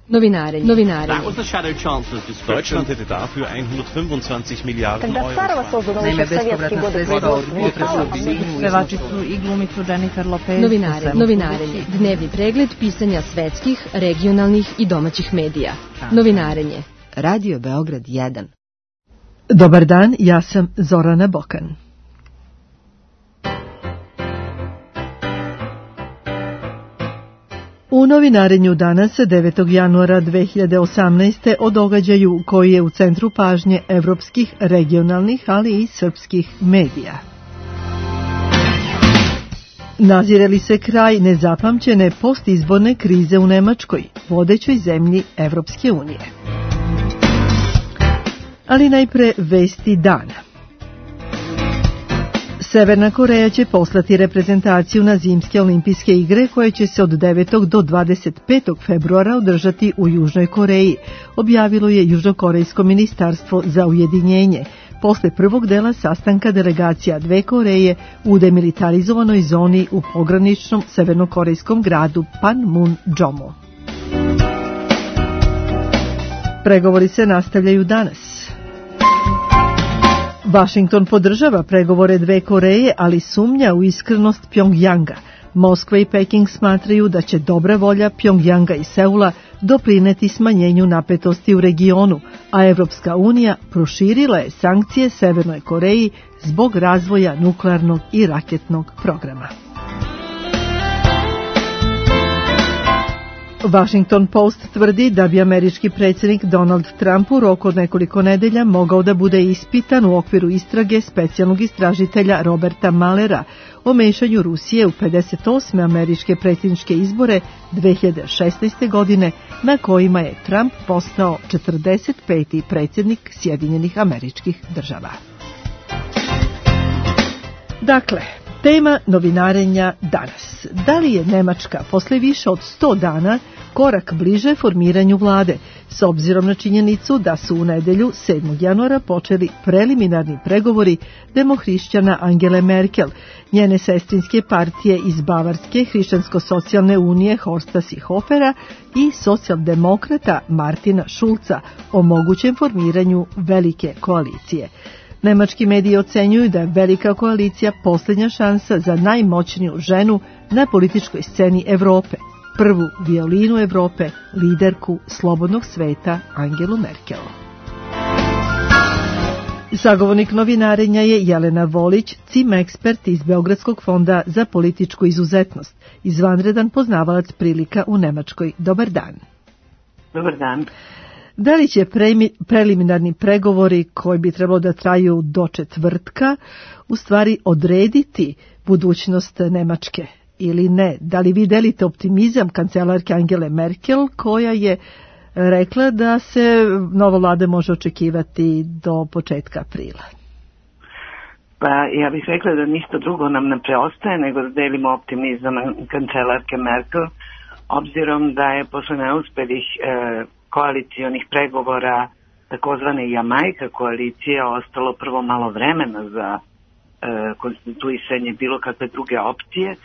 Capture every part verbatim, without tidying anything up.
Novinarenje. Novinarenje. That was the shadow chancellor's discretion. Deutschland hätte dafür hundertfünfundzwanzig Milliarden Euro. Naime, bespovratna sredstva od pevačicu i glumicu Jennifer Lopez. Novinarenje. Novinarenje. Dnevni pregled pisanja svetskih, regionalnih i domaćih medija. Novinarenje. Radio Beograd jedan. Dobar dan, ja sam Zorana Bokan. U novinarenju danas, devetog januara dve hiljade osamnaeste. o događaju koji je u centru pažnje evropskih, regionalnih, ali i srpskih medija. Nazire li se kraj nezapamćene postizborne krize u Nemačkoj, vodećoj zemlji Evropske unije? Ali najpre vesti dana. Severna Koreja će poslati reprezentaciju na zimske olimpijske igre koje će se od devetog do dvadeset petog februara održati u Južnoj Koreji, objavilo je Južnokorejsko ministarstvo za ujedinjenje, posle prvog dela sastanka delegacija dve Koreje u demilitarizovanoj zoni u pograničnom severnokorejskom gradu Panmunjom. Pregovori se nastavljaju danas. Washington podržava pregovore dve Koreje, ali sumnja u iskrenost Pjongjanga. Moskva i Peking smatraju da će dobra volja Pjongjanga i Seula doprineti smanjenju napetosti u regionu, a Evropska unija proširila je sankcije Severnoj Koreji zbog razvoja nuklearnog i raketnog programa. Washington Post tvrdi da bi američki predsjednik Donald Trump u roku od nekoliko nedelja mogao da bude ispitan u okviru istrage specijalnog istražitelja Roberta Muellera o mešanju Rusije u pedeset osme američke predsjedničke izbore dve hiljade šesnaeste. godine, na kojima je Trump postao četrdeset peti predsjednik Sjedinjenih Američkih Država. Dakle, tema novinarenja danas. Da li je Nemačka posle više od sto dana korak bliže formiranju vlade, s obzirom na činjenicu da su u nedelju sedmog januara počeli preliminarni pregovori demohrišćana Angele Merkel, njene sestrinske partije iz Bavarske hrišćansko-socijalne unije Horsta Seehofera i socijaldemokrata Martina Schulza o mogućem formiranju velike koalicije. Nemački mediji ocenjuju da je velika koalicija posljednja šansa za najmoćniju ženu na političkoj sceni Evrope, prvu violinu Evrope, liderku slobodnog sveta Angelu Merkel. Sagovornik novinarenja je Jelena Volić, C I M ekspert iz Beogradskog fonda za političku izuzetnost, izvanredan poznavalac prilika u Nemačkoj. Dobar dan. Dobar dan. Da li će premi, preliminarni pregovori koji bi trebalo da traju do četvrtka u stvari odrediti budućnost Nemačke ili ne? Da li vi delite optimizam kancelarke Angele Merkel koja je rekla da se nova vlada može očekivati do početka aprila? Pa ja bih rekla da ništa drugo nam ne preostaje nego da delimo optimizam kancelarke Merkel, obzirom da je posle neuspelih e, koalicijonih pregovora takozvane Jamajka koalicije ostalo prvo malo vremena za e, konstituisanje bilo kakve druge opcije,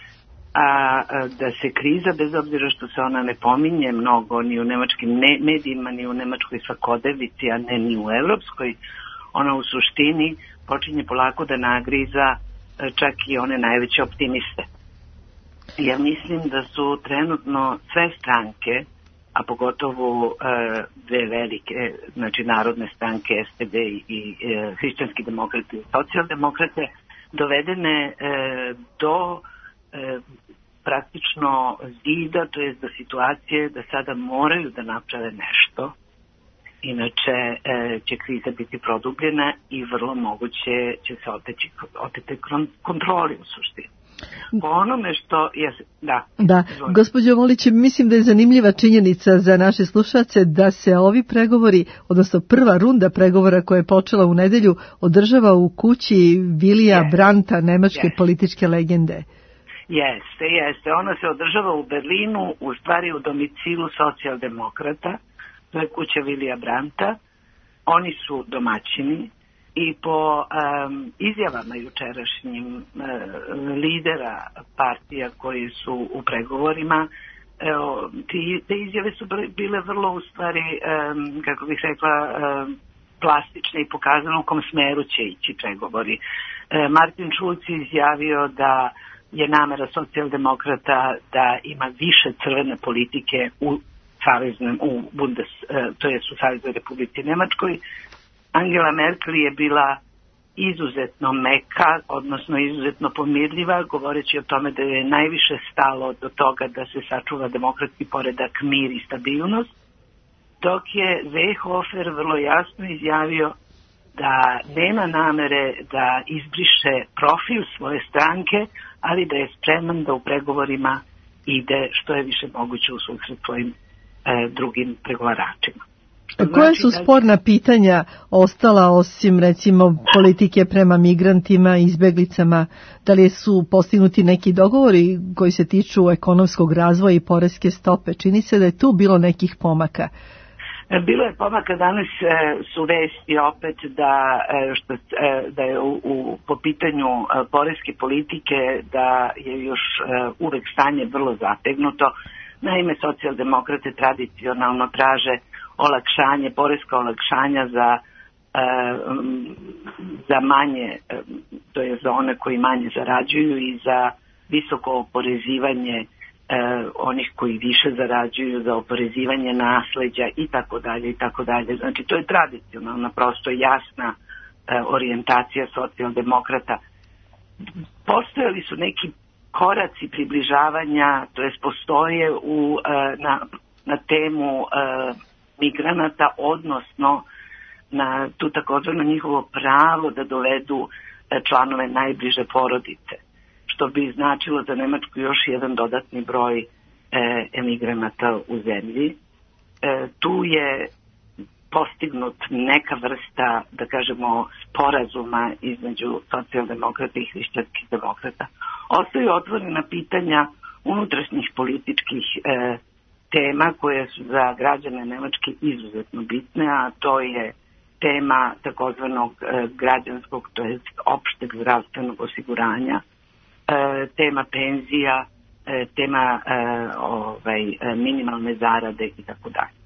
a da se kriza, bez obzira što se ona ne pominje mnogo ni u nemačkim ne, medijima, ni u nemačkoj svakodnevnici, a ne ni u evropskoj, ona u suštini počinje polako da nagriza čak i one najveće optimiste. Ja mislim da su trenutno sve stranke, a pogotovo e, dve velike, znači narodne stranke S P D i e, hrišćanski demokrate i socijaldemokrate, dovedene e, do e, praktično zida, to je do situacije da sada moraju da naprave nešto, inače e, će kriza biti produbljena i vrlo moguće će se oteći, otete kontroli u suštini. Po onome što je... Da, da. Gospođo Volić, mislim da je zanimljiva činjenica za naše slušace da se ovi pregovori, odnosno prva runda pregovora koja je počela u nedelju, održava u kući Vilija yes. Brandta, nemačke yes. političke legende. Jeste, jeste. Ona se održava u Berlinu, u stvari u domicilu socijaldemokrata, to je kuća Vilija Brandta. Oni su domaćini. I po um, izjavama jučerašnjim uh, lidera partija koji su u pregovorima, evo, te izjave su bile vrlo u stvari, um, kako bih rekla, um, plastične i pokazano u kom smeru će ići pregovori. E, Martin Schulz je izjavio da je namera socijaldemokrata da ima više crvene politike u saveznom, u Bundes, e, to jest u Saveznoj Republici Nemačkoj. Angela Merkel je bila izuzetno meka, odnosno izuzetno pomirljiva, govoreći o tome da je najviše stalo do toga da se sačuva demokratski poredak, mir i stabilnost, dok je Seehofer vrlo jasno izjavio da nema namere da izbriše profil svoje stranke, ali da je spreman da u pregovorima ide što je više moguće u susret svojim e, drugim pregovaračima. Znači, koje su sporna pitanja ostala osim recimo politike prema migrantima i izbeglicama? Da li su postignuti neki dogovori koji se tiču ekonomskog razvoja i poreske stope? Čini se da je tu bilo nekih pomaka. Bilo je pomaka, danas su vesti opet da, što, da je u, u, po pitanju poreske politike da je još uvek stanje vrlo zategnuto. Naime, socijaldemokrate tradicionalno traže olakšanje, poreska olakšanja za, za manje, to je za one koji manje zarađuju i za visoko oporezivanje Uh, onih koji više zarađuju, za oporezivanje nasleđa i tako dalje i tako dalje. Znači to je tradicionalna, prosto jasna uh, orijentacija socijaldemokrata. Postojali su neki koraci približavanja, to jest postoje u, uh, na, na temu uh, migranata, odnosno na tu takozvano njihovo pravo da dovedu uh, članove najbliže porodice, što bi značilo za Nemačku još jedan dodatni broj e, emigranata u zemlji. E, tu je postignut neka vrsta, da kažemo, sporazuma između socijaldemokrata i hrišćanskih demokrata. Ostaju otvorena pitanja unutrašnjih političkih e, tema koje su za građane Nemačke izuzetno bitne, a to je tema takozvanog e, građanskog, to je opšteg zdravstvenog osiguranja, tema penzija, tema ovaj, minimalne zarade i tako dalje.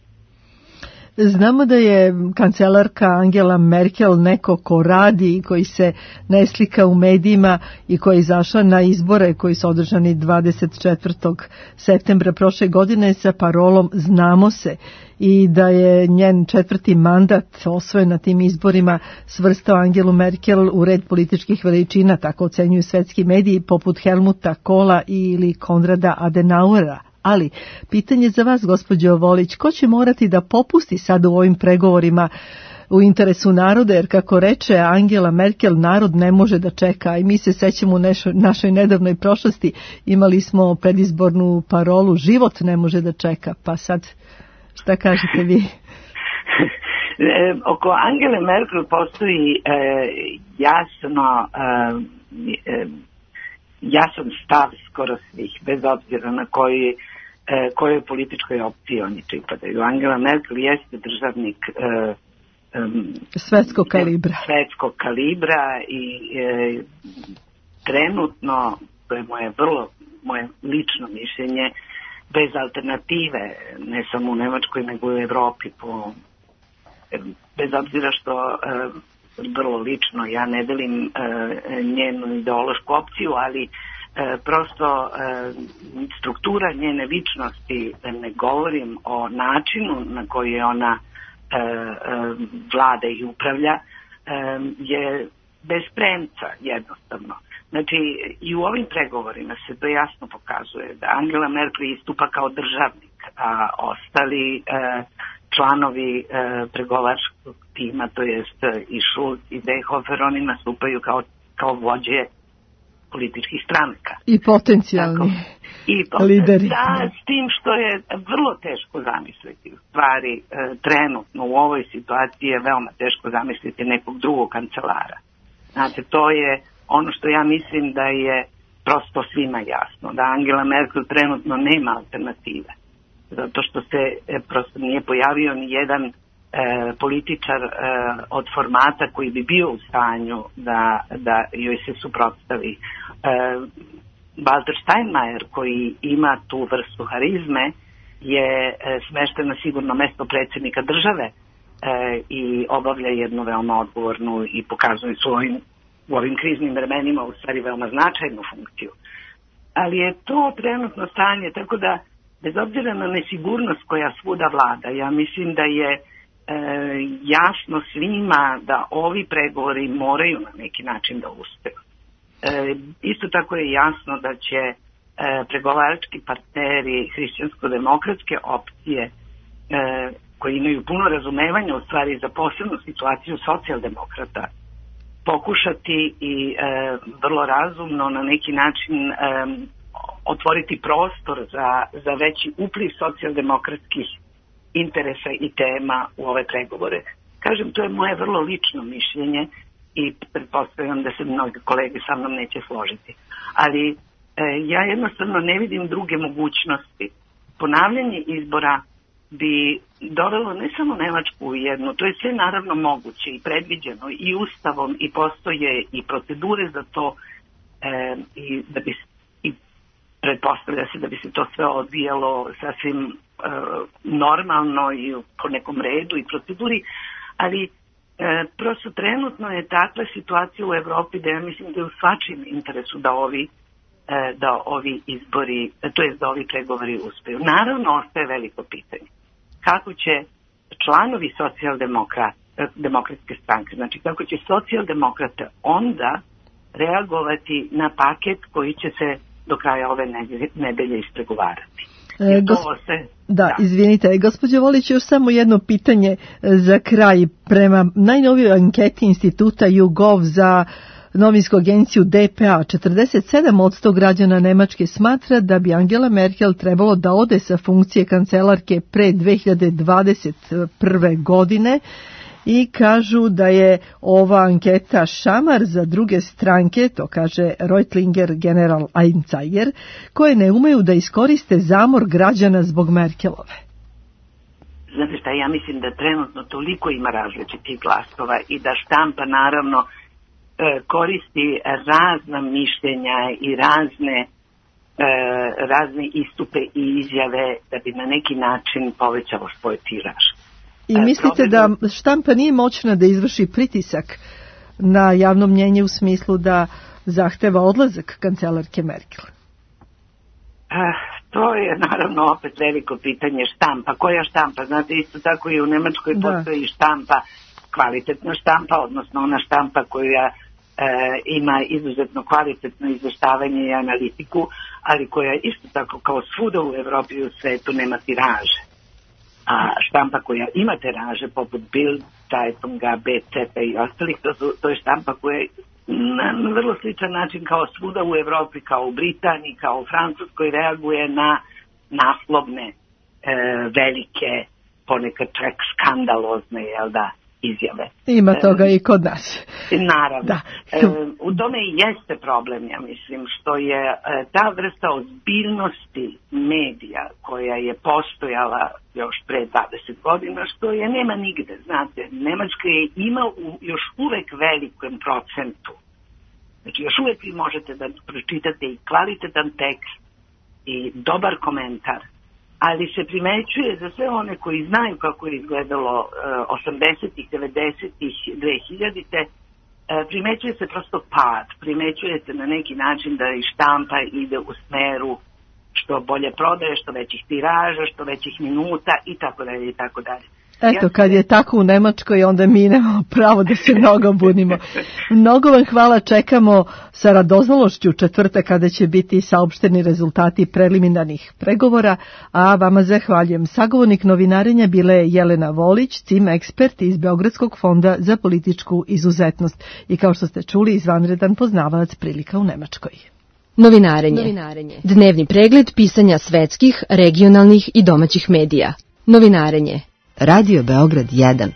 Znamo da je kancelarka Angela Merkel neko ko radi i koji se ne slika u medijima i koji je izašla na izbore koji su održani dvadeset četvrtog septembra prošle godine sa parolom Znamo se, i da je njen četvrti mandat osvojen na tim izborima svrstao Angelu Merkel u red političkih veličina, tako ocenjuju svetski mediji, poput Helmuta Kohla ili Konrada Adenauera. Ali, pitanje za vas, gospođo Volić, ko će morati da popusti sad u ovim pregovorima u interesu naroda, jer kako reče Angela Merkel, narod ne može da čeka, i mi se sećamo u našoj, našoj nedavnoj prošlosti, imali smo predizbornu parolu život ne može da čeka, pa sad šta kažete vi? E, oko Angele Merkel postoji e, jasno e, jasan stav skoro svih, bez obzira na koji, e, kojoj političkoj opciji oni pripadaju. Angela Merkel jeste državnik e, Um, svetskog kalibra. Svetskog kalibra i e, trenutno, to je moje vrlo, moje lično mišljenje, bez alternative, ne samo u Nemačkoj, nego u Evropi, po, bez obzira što e, vrlo lično ja ne delim e, njenu ideološku opciju, ali e, prosto e, struktura njene ličnosti, ne govorim o načinu na koji je ona vlada i upravlja, je bez premca jednostavno. Znači, i u ovim pregovorima se to jasno pokazuje da Angela Merkel istupa kao državnik, a ostali članovi pregovaračkog tima, to jest i Schulz i Seehofer, oni nastupaju kao, kao vođe političkih stranaka. I potencijalni I lideri. Da, s tim što je vrlo teško zamisliti. U stvari, e, trenutno u ovoj situaciji je veoma teško zamisliti nekog drugog kancelara. Znate, to je ono što ja mislim da je prosto svima jasno. Da Angela Merkel trenutno nema alternative. Zato što se e, prosto nije pojavio ni jedan e, političar e, od formata koji bi bio u stanju da, da joj se suprotstavi. E, Walter Steinmeier, koji ima tu vrstu harizme, je e, smešten na sigurno mesto predsjednika države e, i obavlja jednu veoma odgovornu i pokazuje svojim u ovim kriznim vremenima u stvari veoma značajnu funkciju. Ali je to trenutno stanje, tako da bez obzira na nesigurnost koja svuda vlada, ja mislim da je e, jasno svima da ovi pregovori moraju na neki način da uspeju. E, isto tako je jasno da će e, pregovarački partneri hrišćansko-demokratske opcije e, koji imaju puno razumevanja u stvari za posebnu situaciju socijaldemokrata pokušati i e, vrlo razumno na neki način e, otvoriti prostor za, za veći upliv socijaldemokratskih interesa i tema u ove pregovore. Kažem, to je moje vrlo lično mišljenje i pretpostavljam da se mnogi kolege sa mnom neće složiti. Ali e, ja jednostavno ne vidim druge mogućnosti. Ponavljanje izbora bi dovelo ne samo Nemačku u jednu, to je sve naravno moguće i predviđeno i ustavom i postoje i procedure za to e, i da bi i pretpostavlja se da bi se to sve odvijalo sasvim e, normalno i po nekom redu i proceduri, ali e, prosto trenutno je takva situacija u Evropi da ja mislim da je u svačijem interesu da ovi da ovi izbori, to jest da ovi pregovori uspeju. Naravno, ostaje veliko pitanje. Kako će članovi socijaldemokratske stranke, znači kako će socijaldemokrate onda reagovati na paket koji će se do kraja ove nedelje ispregovarati. E, gos- se, da, da, izvinite, gospođo Volić, još samo jedno pitanje za kraj. Prema najnovijoj anketi instituta YouGov za novinsku agenciju D P A, četrdeset sedam posto građana Nemačke smatra da bi Angela Merkel trebalo da ode sa funkcije kancelarke pre dve hiljade dvadeset prve. godine i kažu da je ova anketa šamar za druge stranke, to kaže Reutlinger General Einzeiger, koje ne umeju da iskoriste zamor građana zbog Merkelove. Znate šta, ja mislim da trenutno toliko ima različitih glasova i da štampa naravno koristi razna mišljenja i razne e, razne istupe i izjave da bi na neki način povećalo svoj tiraž. I mislite Problem... da štampa nije moćna da izvrši pritisak na javno mnjenje u smislu da zahteva odlazak kancelarke Merkel? A, to je naravno opet veliko pitanje štampa. Koja štampa? Znate, isto tako i u Nemačkoj da. Postoji štampa, kvalitetna štampa, odnosno ona štampa koja e, ima izuzetno kvalitetno izveštavanje i analitiku, ali koja isto tako kao svuda u Evropi i u svetu nema tiraže. A štampa koja ima tiraže poput Bild, Zeitunga, B C P i ostalih, to, su, to je štampa koja je na vrlo sličan način kao svuda u Evropi, kao u Britaniji, kao u Francuskoj reaguje na naslovne e, velike, ponekad čak skandalozne, jel da, izjave. Ima toga e, i kod nas. Naravno. Da. E, u tome i jeste problem, ja mislim, što je e, ta vrsta ozbiljnosti medija koja je postojala još pre dvadeset godina, što je nema nigde, znate. Nemačka je ima u, još uvek velikom procentu. Znači, još uvek vi možete da pročitate i kvalitetan tekst i dobar komentar, ali se primećuje za sve one koji znaju kako je izgledalo uh, osamdesetih, devedesetih, dvehiljadite, uh, primećuje se prosto pad, primećuje se na neki način da i štampa ide u smeru što bolje prodaje, što većih tiraža, što većih minuta i tako dalje i tako dalje. Eto, kad je tako u Nemačkoj, onda mi nemamo pravo da se mnogo bunimo. Mnogo vam hvala, čekamo sa radoznalošću četvrta kada će biti saopšteni rezultati preliminarnih pregovora, a vama zahvaljujem. Sagovornik novinarenja bila je Jelena Volić, C I M ekspert iz Beogradskog fonda za političku izuzetnost i kao što ste čuli, izvanredan poznavalac prilika u Nemačkoj. Novinarenje. Novinarenje. Dnevni pregled pisanja svetskih, regionalnih i domaćih medija. Novinarenje. Radio Beograd jedan.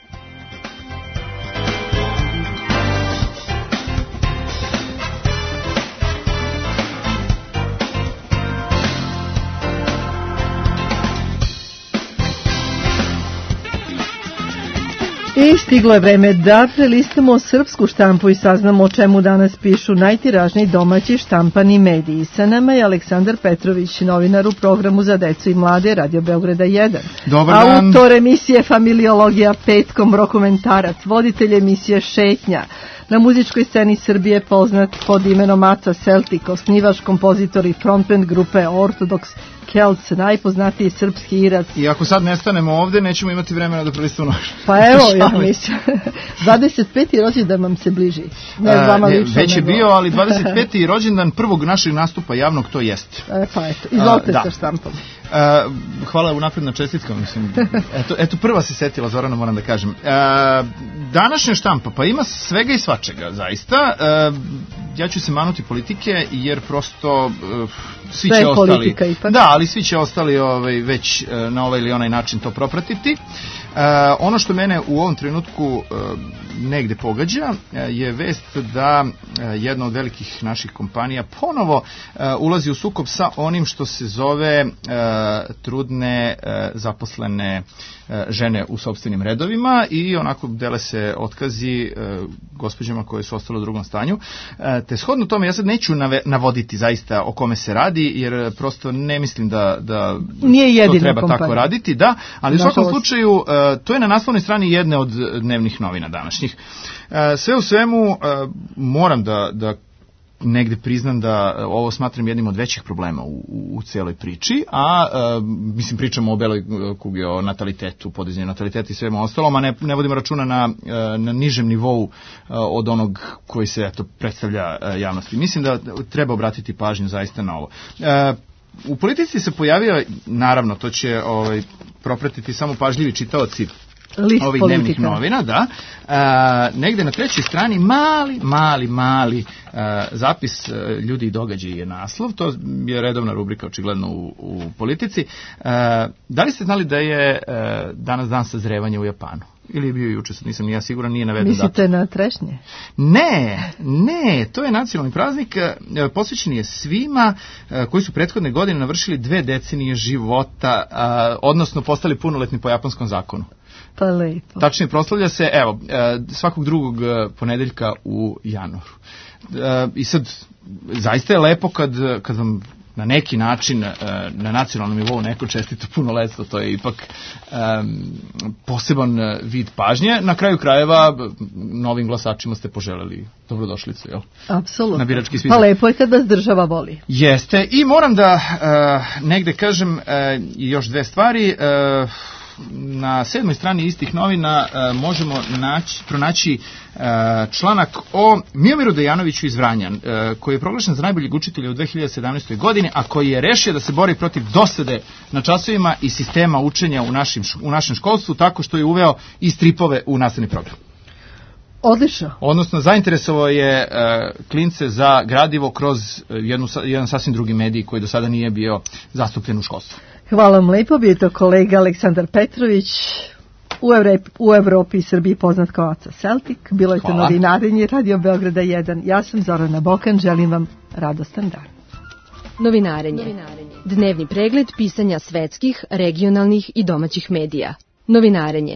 I stiglo je vreme da prelistamo srpsku štampu i saznamo o čemu danas pišu najtiražniji domaći štampani mediji. Sa nama je Aleksandar Petrović, novinar u programu za decu i mlade Radio Beograda jedan. Dobar dan. Autor emisije Familiologija petkom, rokomentarac, voditelj emisije Šetnja. Na muzičkoj sceni Srbije poznat pod imenom Aca Celtic, osnivač, kompozitor i frontman grupe Ortodox Celts, najpoznatiji srpski irac. I ako sad nestanemo ovde, nećemo imati vremena da prelistamo nož. Pa evo, ja mislim. dvadeset peti rođendan vam se bliži. Ne, A, ne, već je nego... bio, ali dvadeset peti rođendan prvog našeg nastupa javnog to jeste. E, pa eto, izvolite sa štampom. Uh, hvala unapred na čestitkama, mislim. Eto, eto prva se setila, Zorana, moram da kažem. Uh, današnja štampa, pa ima svega i svačega, zaista. Uh, ja ću se manuti politike, jer prosto uh, svi sve će ostali... Ipak. Da, ali svi će ostali ovaj, već uh, na ovaj ili onaj način to propratiti. Uh, ono što mene u ovom trenutku uh, negde pogađa uh, je vest da uh, jedna od velikih naših kompanija ponovo uh, ulazi u sukob sa onim što se zove uh, trudne uh, zaposlene uh, žene u sopstvenim redovima i onako dele se otkazi uh, gospođama koje su ostale u drugom stanju. Uh, te shodno tome, ja sad neću nave, navoditi zaista o kome se radi, jer prosto ne mislim da, da nije to treba kompanija. Tako raditi, da, ali u svakom slučaju uh, to je na naslovnoj strani jedne od dnevnih novina današnjih. Uh, sve u svemu uh, moram da, da negde priznam da ovo smatram jednim od većih problema u, u, u celoj priči, a e, mislim pričamo o beloj kugi, o natalitetu, podizanju nataliteta i svemu ostalom, a ne, ne vodimo računa na, na nižem nivou e, od onog koji se eto, predstavlja e, javnosti. Mislim da treba obratiti pažnju zaista na ovo. E, u politici se pojavio, naravno, to će ovaj, propratiti samo pažljivi čitaoci List ovih politika. Dnevnih novina, da. A, negde na trećoj strani mali, mali, mali a, zapis a, ljudi i događaji je naslov. To je redovna rubrika očigledno u, u politici. A, da li ste znali da je a, danas dan sazrevanja u Japanu? Ili je bio juče, sad nisam ni ja siguran, nije naveden datum. Mislite na trešnje? Ne, ne, to je nacionalni praznik, posvećen je svima koji su prethodne godine navršili dve decenije života, odnosno postali punoletni po japanskom zakonu. Pa lepo. Tačnije, proslavlja se, evo, svakog drugog ponedeljka u januaru. I sad, zaista je lepo kad, kad vam na neki način na nacionalnom nivou neko čestito punoletstvo, to je ipak um, poseban vid pažnje. Na kraju krajeva novim glasačima ste poželeli dobrodošlicu, jel? Apsolutno. Na birački spisak. Pa lepo je kad vas država voli. Jeste, i moram da uh, negde kažem uh, još dve stvari. Uh, na sedmoj strani istih novina uh, možemo naći, pronaći uh, članak o Mijomiru Dejanoviću iz Vranja, uh, koji je proglašen za najboljeg učitelja u dve hiljade sedamnaestoj. godini, a koji je rešio da se bori protiv dosade na časovima i sistema učenja u, našim, u našem školstvu, tako što je uveo i stripove u nastavni program. Odlično. Odnosno, zainteresovao je uh, klince za gradivo kroz jednu, jedan sasvim drugi medij koji do sada nije bio zastupljen u školstvu. Hvala vam lepo, bio je to kolega Aleksandar Petrović, u, Evropi, u Evropi i Srbiji poznat kao Aca Celtic. Bilo je to novinarenje Radio Beograda jedan. Ja sam Zorana Bokan, želim vam radostan dan. Novinarenje. Dnevni pregled pisanja svetskih, regionalnih i domaćih medija. Novinarenje.